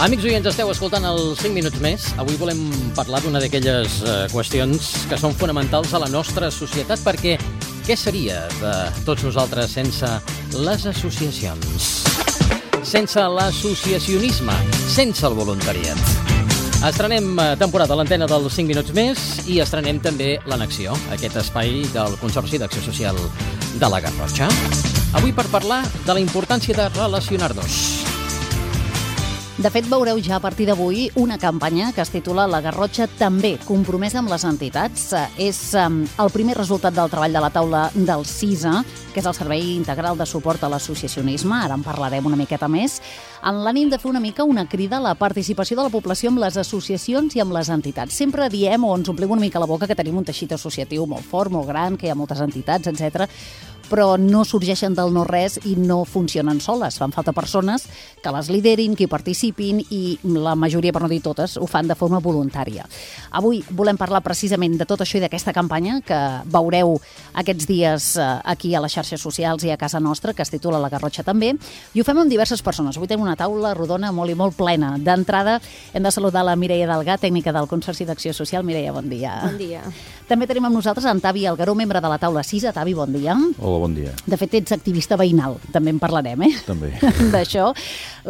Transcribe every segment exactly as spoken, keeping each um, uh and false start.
Amics oients, esteu escoltant els cinc minuts més. Avui volem parlar d'una d'aquelles eh, qüestions que són fonamentals a la nostra societat, perquè què seria de tots nosaltres sense les associacions? Sense l'associacionisme, sense el voluntariat. Estrenem temporada a l'antena dels cinc minuts més i estrenem també l'Annexió, aquest espai del Consorci d'Acció Social de la Garrotxa. Avui per parlar de la importància de relacionar-nos. De fet, veureu ja a partir d'avui una campanya que es titula La Garrotxa també, compromesa amb les entitats. És el primer resultat del treball de la taula del CISA, que és el Servei Integral de Suport a l'Associacionisme, ara en parlarem una miqueta més, en l'ànim de fer una mica una crida a la participació de la població amb les associacions i amb les entitats. Sempre diem o ens omplim una mica la boca que tenim un teixit associatiu molt fort, molt gran, que hi ha moltes entitats, etcètera, però no sorgeixen del no-res i no funcionen soles. Fan falta persones que les liderin, que hi participin, i la majoria, per no dir totes, ho fan de forma voluntària. Avui volem parlar precisament de tot això i d'aquesta campanya que veureu aquests dies aquí a les xarxes socials i a casa nostra, que es titula La Garrotxa també, i ho fem amb diverses persones. Avui tenim una taula rodona molt i molt plena. D'entrada hem de saludar la Mireia Delgà, tècnica del Consorci d'Acció Social. Mireia, bon dia. Bon dia. També tenim amb nosaltres en Tavi Algaró, membre de la taula CISA. Tavi, bon dia. Hola, bon dia. De fet, ets activista veïnal, també en parlarem, eh? També. D'això.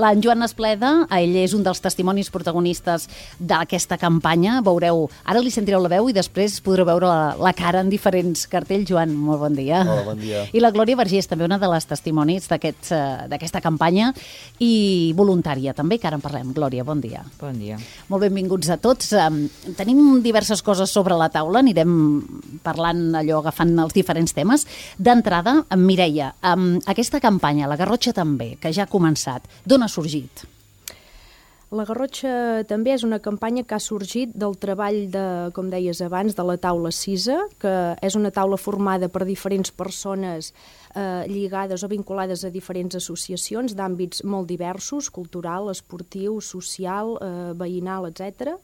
L'en Joan Espleda, ell és un dels testimonis protagonistes d'aquesta campanya. Veureu, ara li sentireu la veu i després podreu veure la, la cara en diferents cartells. Joan, molt bon dia. Hola, bon dia. I la Glòria Vergés, també una de les testimonis d'aquest, d'aquesta campanya i voluntària també, que ara en parlem. Glòria, bon dia. Bon dia. Molt benvinguts a tots. Tenim diverses coses sobre la taula, anirem parlant allò, agafant els diferents temes. D'entrada, amb Mireia, amb aquesta campanya, La Garrotxa també, que ja ha començat, d'on ha sorgit? La Garrotxa també és una campanya que ha sorgit del treball, de, com deies abans, de la taula CISA, que és una taula formada per diferents persones eh, lligades o vinculades a diferents associacions d'àmbits molt diversos, cultural, esportiu, social, eh, veïnal, etcètera.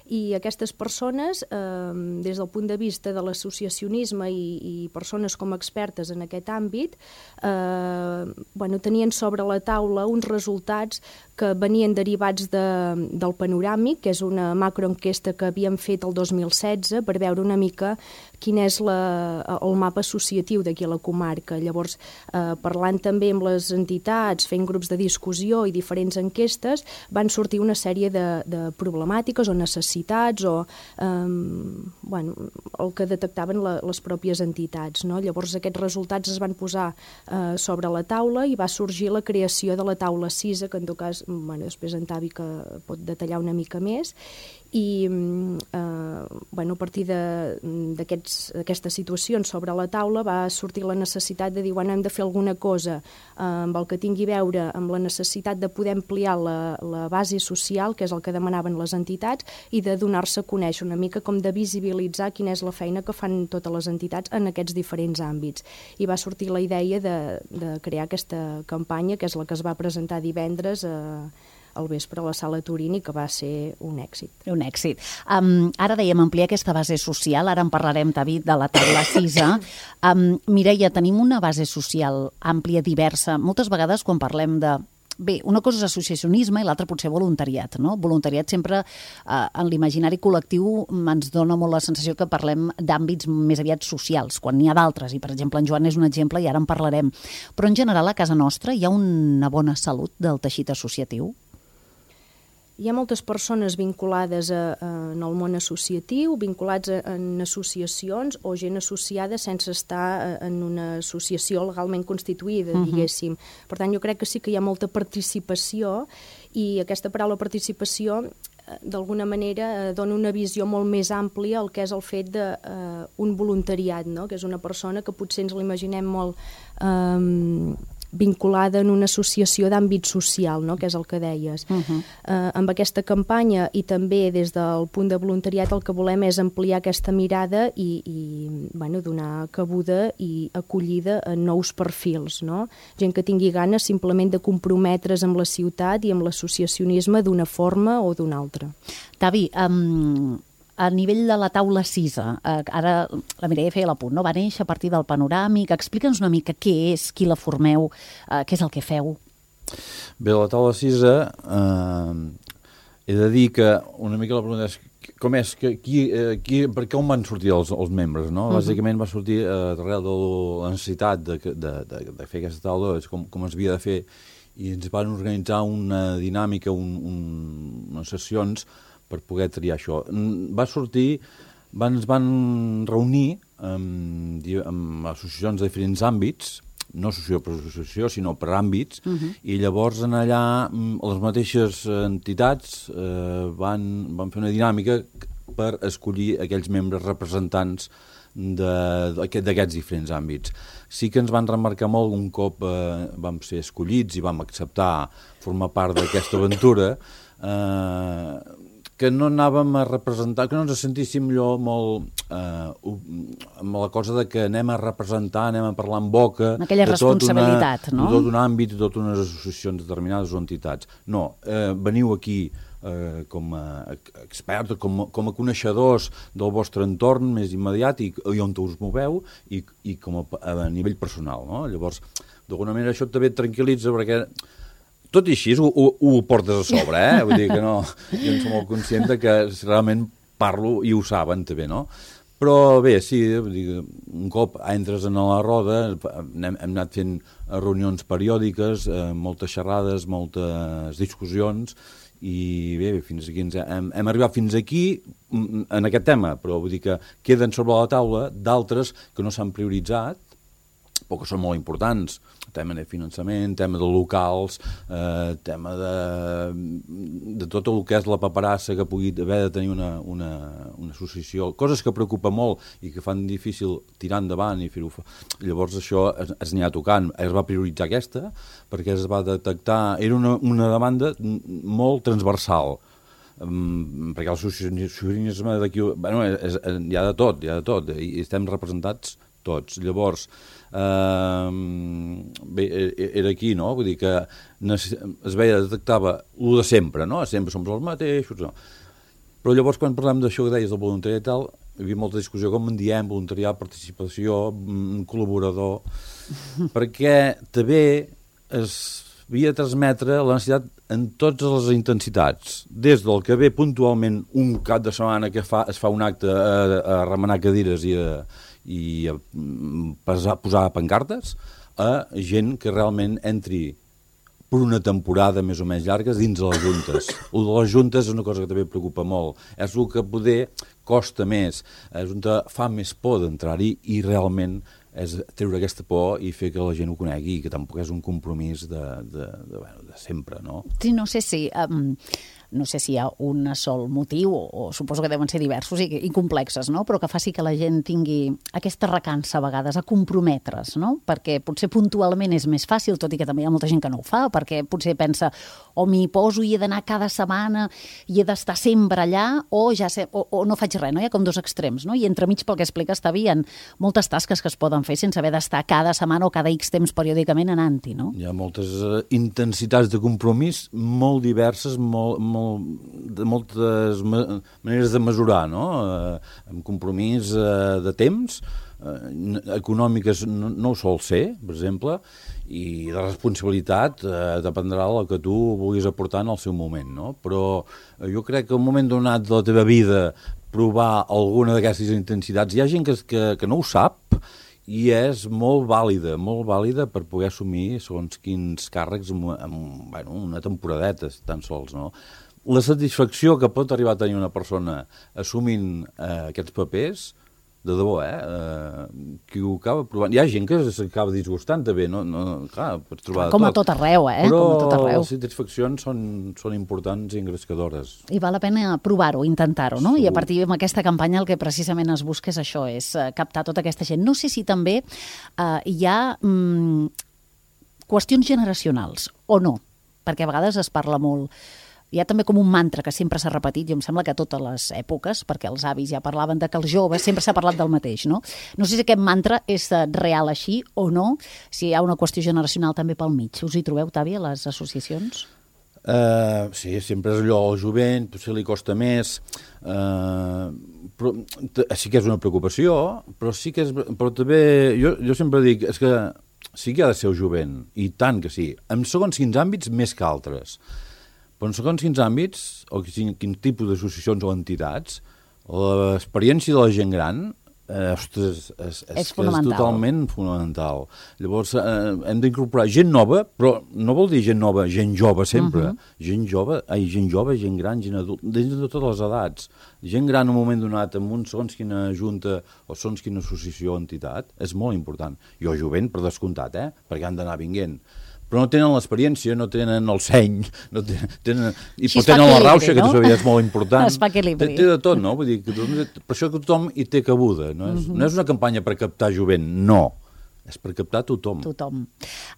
I aquestes persones, eh, des del punt de vista de l'associacionisme i, i persones com expertes en aquest àmbit, eh, bueno, tenien sobre la taula uns resultats que venien derivats de, del Panoràmic, que és una macroenquesta que havíem fet el dos mil setze per veure una mica quin és la, el mapa associatiu d'aquí a la comarca. Llavors, eh, parlant també amb les entitats, fent grups de discussió i diferents enquestes, van sortir una sèrie de, de problemàtiques o necessitats o eh, bueno, el que detectaven la, les pròpies entitats, no? Llavors aquests resultats es van posar eh, sobre la taula i va sorgir la creació de la taula CISA, que en tot cas, bueno, després en Tavi que pot detallar una mica més, i eh, bueno, a partir d'aquestes situacions sobre la taula va sortir la necessitat de dir, bueno, hem de fer alguna cosa eh, amb el que tingui a veure amb la necessitat de poder ampliar la, la base social, que és el que demanaven les entitats, i de donar-se a conèixer una mica, com de visibilitzar quina és la feina que fan totes les entitats en aquests diferents àmbits. I va sortir la idea de, de crear aquesta campanya, que és la que es va presentar divendres a eh, al vespre a la Sala Turini, que va ser un èxit. Un èxit. Um, ara dèiem ampliar aquesta base social, ara en parlarem, Tavi, de la taula CISA. Um, Mireia, tenim una base social àmplia, diversa. Moltes vegades quan parlem de... Bé, una cosa és associacionisme i l'altra potser voluntariat, no? Voluntariat sempre eh, en l'imaginari col·lectiu ens dona molt la sensació que parlem d'àmbits més aviat socials, quan n'hi ha d'altres, i per exemple en Joan és un exemple i ara en parlarem. Però en general a casa nostra hi ha una bona salut del teixit associatiu? Hi ha moltes persones vinculades a, a, en el món associatiu, vinculats a, en associacions o gent associada sense estar en una associació legalment constituïda, uh-huh. diguéssim. Per tant, jo crec que sí que hi ha molta participació i aquesta paraula participació d'alguna manera dona una visió molt més àmplia al que és el fet d'un uh, voluntariat, no? Que és una persona que potser ens l'imaginem molt... Um, vinculada en una associació d'àmbit social, no? Que és el que deies. Uh-huh. eh, amb aquesta campanya i també des del punt de voluntariat el que volem és ampliar aquesta mirada i, i bueno, donar cabuda i acollida a nous perfils, no? Gent que tingui ganes simplement de comprometre's amb la ciutat i amb l'associacionisme d'una forma o d'una altra. Tavi, um, a nivell de la taula CISA, eh, ara la Mireia feia l'apunt, no? Va néixer a partir del Panoràmic. Explica'ns una mica què és, qui la formeu, eh, què és el que feu. Bé, la taula CISA eh, he de dir que una mica la pregunta és com és, que, qui, eh, qui, per què on van sortir els, els membres, no? Uh-huh. Bàsicament va sortir eh, darrere de la necessitat de, de, de, de fer aquesta taula, com, com es havia de fer, i ens van organitzar una dinàmica, un, un, unes sessions per poder triar això. Va sortir, van, ens van reunir amb, amb associacions de diferents àmbits, no associació per associació, sinó per àmbits, uh-huh. i llavors en allà les mateixes entitats eh, van, van fer una dinàmica per escollir aquells membres representants d'aquests diferents àmbits. Sí que ens van remarcar molt un cop eh, vam ser escollits i vam acceptar formar part d'aquesta aventura, eh, que no anàvem a representar, que no ens sentíssim allò molt eh, amb la cosa de que anem a representar, anem a parlar en boca... Aquella responsabilitat, una, no? De tot un àmbit, de totes unes associacions determinades o entitats. No, eh, veniu aquí eh, com a experts, com, com a coneixedors del vostre entorn més immediat i, i on us moveu i, i com a, a nivell personal, no? Llavors, d'alguna manera això també et tranquil·litza perquè... Tot i així ho, ho, ho portes a sobre, eh? Vull dir que no, jo en soc molt conscient que realment parlo i ho saben també, no? Però bé, sí, vull dir, un cop entres en la roda, hem, hem anat fent reunions periòdiques, eh, moltes xerrades, moltes discussions, i bé, fins aquí ens hem, hem arribat fins aquí en aquest tema, però vull dir que queden sobre la taula d'altres que no s'han prioritzat, però que són molt importants, tema de finançament, tema de locals, eh, tema de, de tot el que és la paperassa que pugui haver de tenir una, una, una associació, coses que preocupa molt i que fan difícil tirar endavant i fer-ho. Llavors això es, es n'hi ha tocant, es va prioritzar aquesta perquè es va detectar, era una, una demanda molt transversal, um, perquè l'associacionisme d'aquí, bueno, és, és, hi ha de tot, hi ha de tot, i estem representats tots. Llavors, eh, bé, era aquí, no? Vull dir que es veia, detectava el de sempre, no? Sempre som els mateixos, no? Però llavors, quan parlem d'això que deies del voluntariat i tal, hi havia molta discussió, com en diem, voluntariat, participació, col·laborador, perquè també es havia de transmetre la necessitat en totes les intensitats, des del que ve puntualment un cap de setmana que fa, es fa un acte a, a remenar cadires i a i a posar, posar pancartes, a gent que realment entri per una temporada més o menys llarga dins de les juntes. El de les juntes és una cosa que també preocupa molt. És el que poder costa més, és on fa més por d'entrar-hi i realment és treure aquesta por i fer que la gent ho conegui i que tampoc és un compromís de, de, de, bueno, de sempre, no? Sí, no sé si... Um... no sé si hi ha un sol motiu, o, o suposo que deuen ser diversos i, i complexes, no? Però que faci que la gent tingui aquesta recança a vegades a comprometre's, no? Perquè potser puntualment és més fàcil, tot i que també hi ha molta gent que no ho fa, perquè potser pensa o m'hi poso i he d'anar cada setmana i he d'estar sempre allà, o ja sé, o, o no faig res, no? Hi ha com dos extrems, no? I entremig, pel que expliques, hi ha moltes tasques que es poden fer sense haver d'estar cada setmana o cada X temps periòdicament anant-hi, no? Hi ha moltes uh, intensitats de compromís molt diverses, molt, molt, de moltes ma maneres de mesurar, no? Eh, amb compromís eh, de temps, eh, econòmiques no, no ho sol ser, per exemple, i de responsabilitat eh, dependrà del que tu vulguis aportar en el seu moment, no? Però eh, jo crec que en un moment donat de la teva vida provar alguna d'aquestes intensitats, hi ha gent que, que, que no ho sap i és molt vàlida, molt vàlida per poder assumir segons quins càrrecs en, en bueno, una temporadeta, tan sols, no? La satisfacció que pot arribar a tenir una persona assumint eh, aquests papers, de debò, eh? eh? Qui ho acaba provant... Hi ha gent que s'acaba disgustant, també, no? no clar, pots trobar Com de a tot arreu, eh? Però Com a tot arreu. les satisfaccions són, són importants i engrescadores. I val la pena provar-ho, intentar-ho, no? Segur. I a partir d'aquesta campanya el que precisament es busca és això, és captar tota aquesta gent. No sé si també eh, hi ha mm, qüestions generacionals, o no, perquè a vegades es parla molt... Hi ha també com un mantra que sempre s'ha repetit, i em sembla que a totes les èpoques, perquè els avis ja parlaven de que els joves sempre s'ha parlat del mateix, no? No sé si aquest mantra és real així o no, si hi ha una qüestió generacional també pel mig. Us hi trobeu, Tàbia, les associacions? Uh, sí, sempre és allò, el jovent, potser li costa més, uh, però sí que és una preocupació, però sí que és... Però també, jo, jo sempre dic, és que sí que ha de ser el jovent, i tant que sí, en segons quins àmbits més que altres. Però en segons quins àmbits, o quin, quin tipus d'associacions o entitats, l'experiència de la gent gran, eh, ostres, és, és, és, és totalment fonamental. Llavors, eh, hem d'incorporar gent nova, però no vol dir gent nova, gent jove sempre. Uh -huh. Gent jove, ai, gent jove, gent gran, gent adult, des de totes les edats. Gent gran en un moment donat, amb un segons quina junta o segons quina associació o entitat, és molt important. I el jovent, per descomptat, eh? Perquè han d'anar vinguent. Però no tenen l'experiència, no tenen el seny, no tenen, tenen, i però tenen la rauxa, no? Que també és molt important. Es fa equilibri. Té, té de tot, no? Vull dir, que, per això que tothom hi té cabuda. No és, uh -huh. no és una campanya per captar jovent, no. És per captar tothom. Tothom.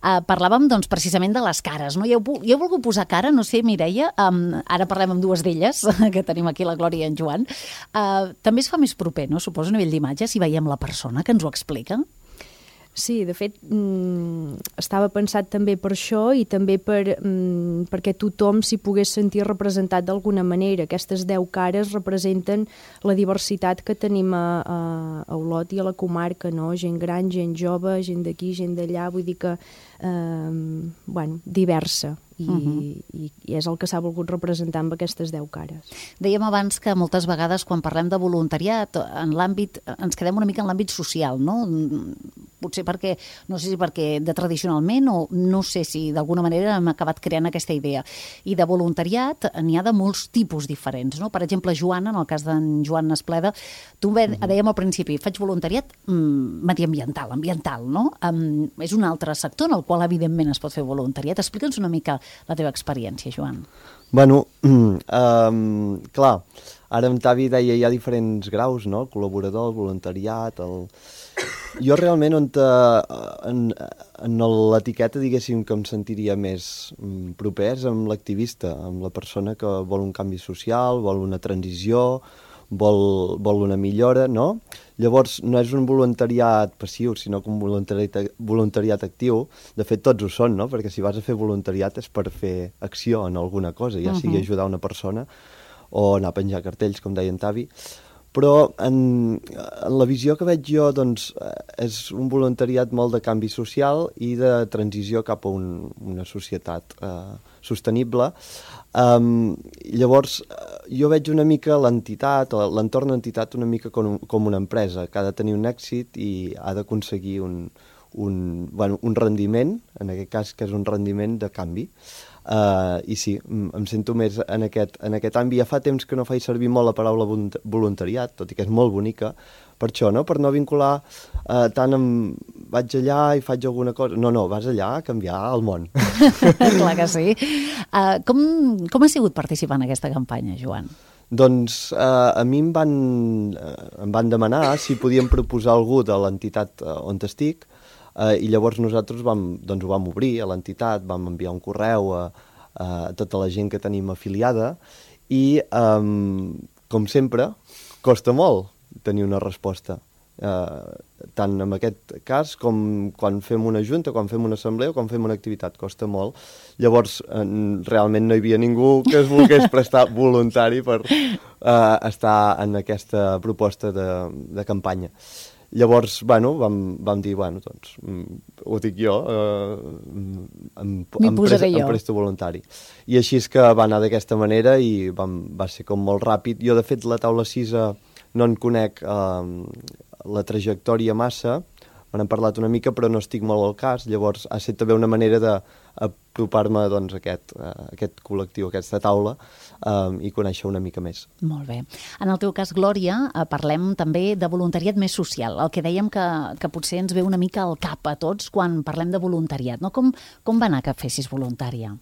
Uh, parlàvem, doncs, precisament de les cares, no? Jo, jo he volgut posar cara, no sé, Mireia, um, ara parlem amb dues d'elles, que tenim aquí la Glòria i en Joan. Uh, també es fa més proper, no? Suposo, a nivell d'imatge, si veiem la persona que ens ho explica. Sí, de fet, mmm, estava pensat també per això i també per, mmm, perquè tothom s'hi pogués sentir representat d'alguna manera. Aquestes deu cares representen la diversitat que tenim a, a, a Olot i a la comarca, no? Gent gran, gent jove, gent d'aquí, gent d'allà, vull dir que, eh, bueno, diversa. I, uh -huh. i, i és el que s'ha volgut representar amb aquestes deu cares. Dèiem abans que moltes vegades quan parlem de voluntariat en l'àmbit, ens quedem una mica en l'àmbit social, no? Potser perquè, no sé si perquè de tradicionalment o no sé si d'alguna manera hem acabat creant aquesta idea. I de voluntariat n'hi ha de molts tipus diferents, no? Per exemple, Joana, en el cas d'en Joan Espleda, tu uh -huh. dèiem al principi, faig voluntariat mm, mediambiental, ambiental, no? Um, és un altre sector en el qual evidentment es pot fer voluntariat. Explica'ns una mica la teva experiència, Joan. Bueno, um, clar, ara en Tavi deia hi ha diferents graus, no? El col·laborador, el voluntariat, el... Jo realment on te, en, en l'etiqueta, diguéssim, que em sentiria més proper és amb l'activista, amb la persona que vol un canvi social, vol una transició, vol, vol una millora, no? Llavors, no és un voluntariat passiu, sinó que un voluntariat, voluntariat actiu. De fet, tots ho són, no? Perquè si vas a fer voluntariat és per fer acció en alguna cosa, ja sigui ajudar una persona o anar a penjar cartells, com deia en Tavi. Però en, en la visió que veig jo, doncs, és un voluntariat molt de canvi social i de transició cap a un, una societat eh, sostenible. Um, llavors, jo veig una mica l'entitat, o l'entorn d'entitat una mica com, com una empresa, que ha de tenir un èxit i ha d'aconseguir un, un, bueno, un rendiment, en aquest cas que és un rendiment de canvi. Uh, I sí, em sento més en aquest, en aquest àmbit. Ja fa temps que no faig servir molt la paraula voluntariat, tot i que és molt bonica, per això, no? Per no vincular uh, tant amb vaig allà i faig alguna cosa. No, no, vas allà a canviar el món. Clar que sí. Uh, com, com ha sigut participar en aquesta campanya, Joan? Doncs uh, a mi em van, uh, em van demanar si podíem proposar algú de l'entitat uh, on estic. Uh, I llavors nosaltres vam, doncs ho vam obrir a l'entitat, vam enviar un correu a, a tota la gent que tenim afiliada i, um, com sempre, costa molt tenir una resposta. Uh, tant en aquest cas com quan fem una junta, quan fem una assemblea o quan fem una activitat, costa molt. Llavors, uh, realment no hi havia ningú que es volgués prestar voluntari per uh, estar en aquesta proposta de, de campanya. Llavors, bueno, vam, vam dir, bueno, doncs, ho dic jo, eh, em, em, pres, em presto voluntari. I així és que va anar d'aquesta manera i vam, va ser com molt ràpid. Jo, de fet, la taula sisa no en conec eh, la trajectòria massa, me n'han parlat una mica, però no estic molt al cas. Llavors, ha estat també una manera d'apropar-me doncs, a aquest, a aquest col·lectiu, a aquesta taula, um, i conèixer una mica més. Molt bé. En el teu cas, Glòria, parlem també de voluntariat més social, el que dèiem que, que potser ens ve una mica al cap a tots quan parlem de voluntariat. No? Com, com va anar que fessis voluntària?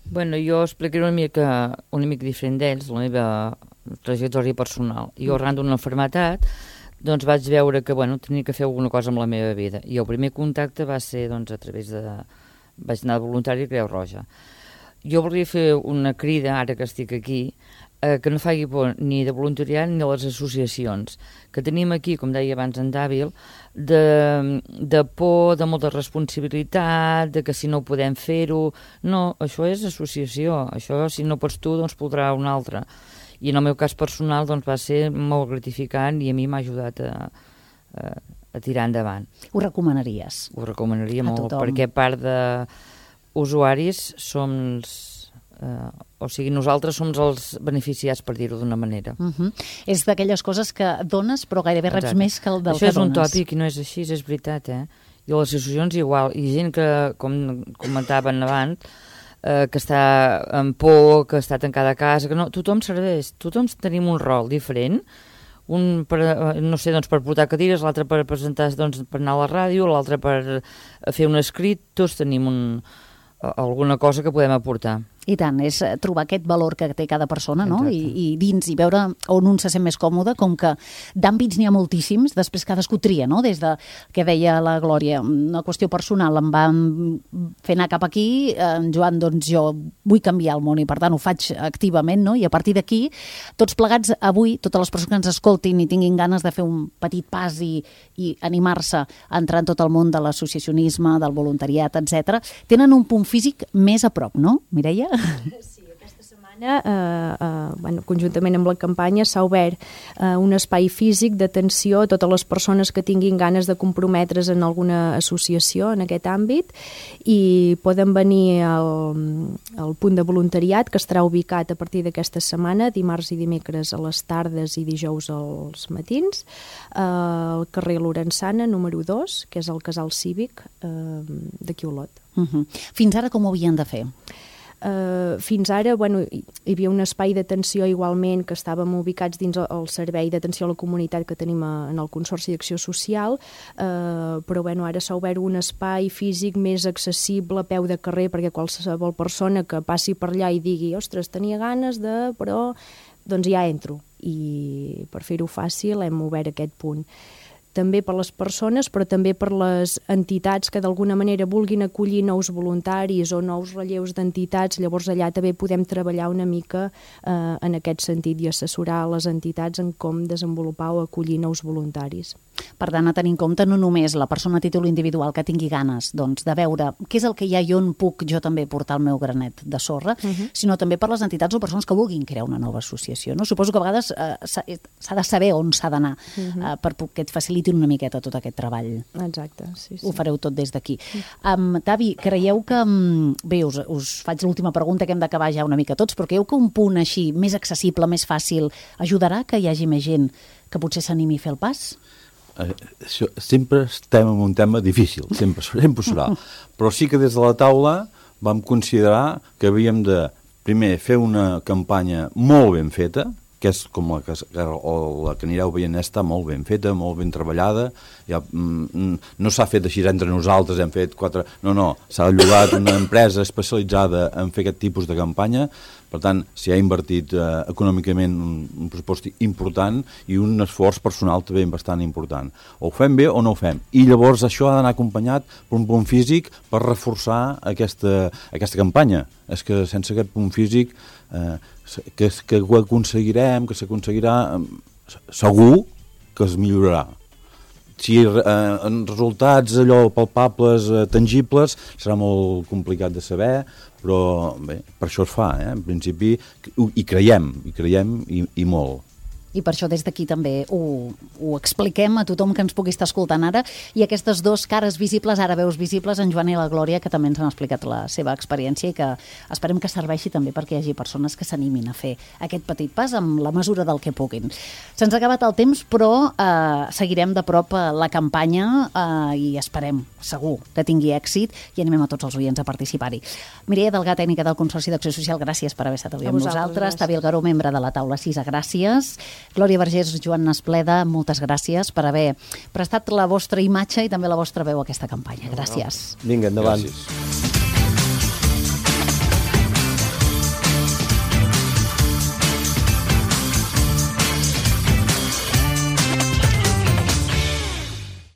Bueno, jo explicaré una mica, una mica diferent d'ells, la meva trajectòria personal. Jo, arran d'una malaltia, doncs vaig veure que, bueno, tenia que fer alguna cosa amb la meva vida. I el primer contacte va ser, doncs, a través de... vaig anar de voluntari a Creu Roja. Jo volia fer una crida, ara que estic aquí, eh, que no faci por ni de voluntariat ni de les associacions, que tenim aquí, com deia abans en Dàbil, de, de por, de molta responsabilitat, de que si no podem fer-ho... No, això és associació. Això, si no pots tu, doncs podrà un altre. I en el meu cas personal doncs, va ser molt gratificant i a mi m'ha ajudat a, a, a tirar endavant. Ho recomanaries? Ho recomanaria a molt, tothom. Perquè a part d'usuaris som, Uh, o sigui, nosaltres som els beneficiats, per dir-ho d'una manera. Uh -huh. És d'aquelles coses que dones, però gairebé reps Exacte. més que el del Això que és un dones. tòpic i no és així, és veritat, eh? I a les associacions igual, i gent que, com comentaven abans, eh, que està en por, que està tancada a casa, que no, tothom serveix, tothom tenim un rol diferent, un per, no sé, doncs per portar cadires, l'altre per presentar, doncs per anar a la ràdio, l'altre per fer un escrit, tots tenim un, alguna cosa que podem aportar. I tant, és trobar aquest valor que té cada persona, no? I, i dins, i veure on un se sent més còmode, com que d'àmbits n'hi ha moltíssims, després cadascú tria, no? Des de, que deia la Glòria, una qüestió personal, em van fer anar cap aquí, en Joan, doncs jo vull canviar el món i per tant ho faig activament, no? I a partir d'aquí, tots plegats avui, totes les persones que ens escoltin i tinguin ganes de fer un petit pas i, i animar-se a entrar en tot el món de l'associacionisme, del voluntariat, etcètera, tenen un punt físic més a prop, no, Mireia? Sí, aquesta setmana, eh, eh, bueno, conjuntament amb la campanya, s'ha obert eh, un espai físic d'atenció a totes les persones que tinguin ganes de comprometre's en alguna associació en aquest àmbit i poden venir al, al punt de voluntariat que estarà ubicat a partir d'aquesta setmana, dimarts i dimecres a les tardes i dijous als matins, eh, al carrer Lorenzana, número dos, que és el casal cívic eh, d'aquí a Olot. Uh -huh. Fins ara com ho havien de fer? Uh, fins ara, bueno, hi havia un espai d'atenció igualment que estàvem ubicats dins el servei d'atenció a la comunitat que tenim a, en el Consorci d'Acció Social, uh, però bueno, ara s'ha obert un espai físic més accessible a peu de carrer perquè qualsevol persona que passi per allà i digui, ostres, tenia ganes de... però doncs ja entro. I per fer-ho fàcil hem obert aquest punt. També per les persones, però també per les entitats que d'alguna manera vulguin acollir nous voluntaris o nous relleus d'entitats, llavors allà també podem treballar una mica eh, en aquest sentit i assessorar les entitats en com desenvolupar o acollir nous voluntaris. Per tant, a tenir en compte no només la persona a títol individual que tingui ganes doncs, de veure què és el que hi ha i on puc jo també portar el meu granet de sorra, uh -huh. sinó també per les entitats o persones que vulguin crear una nova associació. No? Suposo que a vegades eh, s'ha de saber on s'ha d'anar uh -huh. eh, per que et facilitin una miqueta tot aquest treball. Exacte, sí, sí. Ho fareu tot des d'aquí. Um, Tavi, creieu que... Um, bé, us, us faig l'última pregunta que hem d'acabar ja una mica tots, però creieu que un punt així més accessible, més fàcil, ajudarà que hi hagi més gent que potser s'animi a fer el pas? Eh, això, sempre estem en un tema difícil, sempre, sempre serà. Però sí que des de la taula vam considerar que havíem de, primer, fer una campanya molt ben feta, que és com la que, o la que anireu veient està molt ben feta, molt ben treballada, ja, mm, no s'ha fet així entre nosaltres, hem fet quatre... No, no, s'ha llogat una empresa especialitzada en fer aquest tipus de campanya, per tant, s'hi ha invertit eh, econòmicament un, un pressupost important i un esforç personal també bastant important. O ho fem bé o no ho fem. I llavors això ha d'anar acompanyat per un punt físic per reforçar aquesta, aquesta campanya. És que sense aquest punt físic eh, que, que ho aconseguirem, que s'aconseguirà, segur que es millorarà. Si eh, en resultats allò palpables, eh, tangibles, serà molt complicat de saber, però bé, per això es fa, eh? En principi, hi creiem, hi creiem i, i molt. I per això des d'aquí també ho, ho expliquem a tothom que ens pugui estar escoltant ara. I aquestes dues cares visibles, ara veus visibles, en Joan i la Glòria, que també ens han explicat la seva experiència i que esperem que serveixi també perquè hi hagi persones que s'animin a fer aquest petit pas amb la mesura del que puguin. Se'ns ha acabat el temps, però eh, seguirem de prop la campanya eh, i esperem, segur, que tingui èxit i animem a tots els oients a participar-hi. Mireia Delgà, tècnica del Consorci d'Acció Social, gràcies per haver estat avui amb nosaltres. Tavi Algaró, membre de la taula CISA, gràcies. Glòria Vergés, Joan Naspleda, moltes gràcies per haver prestat la vostra imatge i també la vostra veu a aquesta campanya. Gràcies. Vinga, endavant. Gràcies.